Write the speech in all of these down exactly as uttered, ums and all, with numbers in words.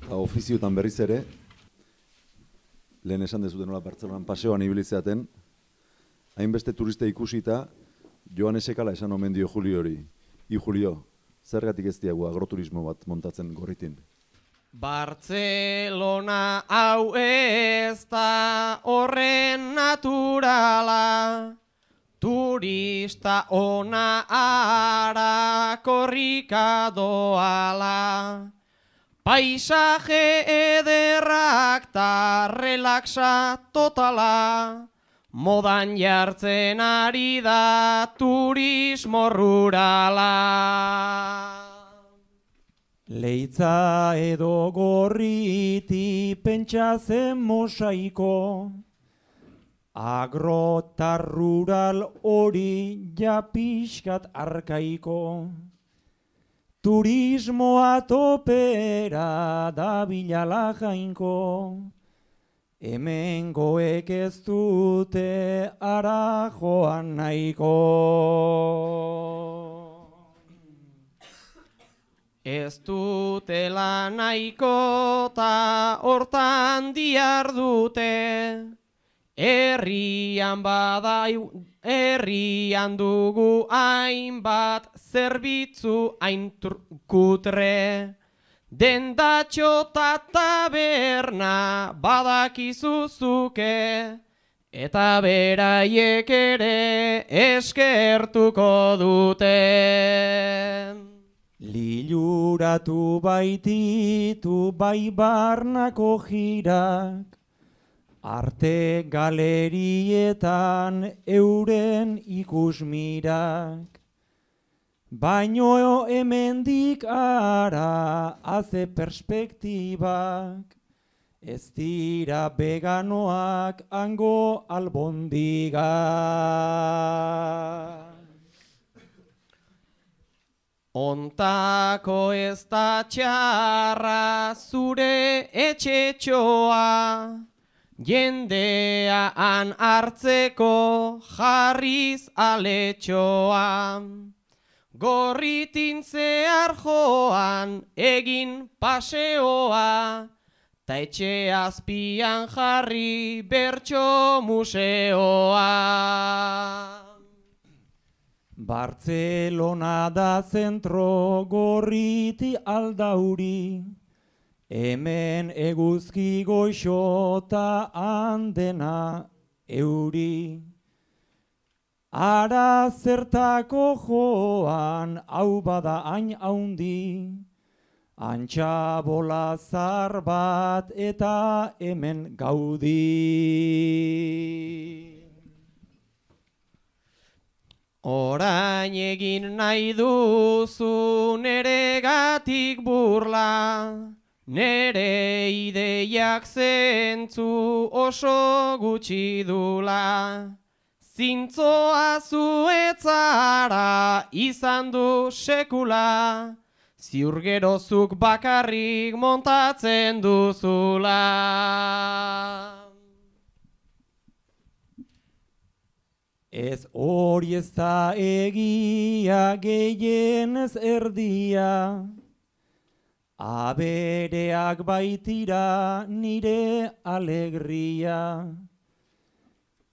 ofiziotan berriz ere, lehen esan dezuten nola Bartzelonan paseoan ibilitzeaten, hainbeste turiste ikusita, Joan Esekala esan omen dio Juliori. I Julio, zergatik ez diagu agroturismo bat montatzen Gorritin? Bartzelona hau ez da horren naturala, turista ona ara korrika doala. Paisaje ederrak ta relaxa totala, modan jartzen ari da turismo rurala. Leitza edo Gorriti pentsa zen mosaiko, agro ta rural hori ja pixkat arkaiko. Turismoa topera da bilala jainko, hemengoek ez dute ara joan nahiko. Ez dutela nahiko ta hortan diardute, herrian bada herrian dugu hainbat zerbitzu hain kutre. Dendatxo ta taberna badakizuzuke, eta beraiek ere eskertuko dute. Liluratu baititu bai barnako jirak, arte galerietan euren ikusmirak. Baino hemendik ara haze perspektibak, ez dira veganoak hango albondigak. Ontako ez da txarra zure etxetxoa, jendea han hartzeko jarriz aletxoa. Gorritin zehar joan egin paseoa, ta etxe azpian jarri bertso museoa. Bartzelona da zentro Gorriti aldauri, hemen eguzki goixota handena euri. Ara zertako joan hau bada hain haundi, antxa bola zar bat eta hemen gaudi. Orain egin nahi duzu neregatik burla, nere ideiak zentzu oso gutxi dula. Zintzoa zuetzara izan du sekula, ziur gerozuk bakarrik montatzen duzula. Ez hori ez da egia gehienez erdia, abereak baitira nire alegria.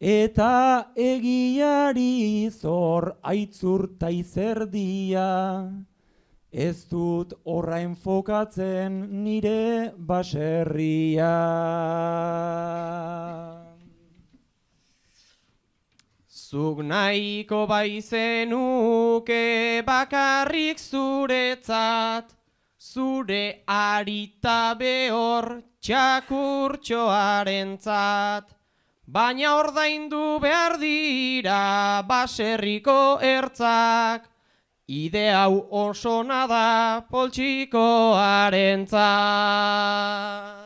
Eta egiari zor aitzurta izerdia, ez dut horra enfokatzen nire baserria. Zuk nahiko baizenuke bakarrik zuretzat, zure arita behor txakurtxoarentzat. Baina ordaindu behar dira baserriko ertzak, ide hau oso nada poltsikoarentzat.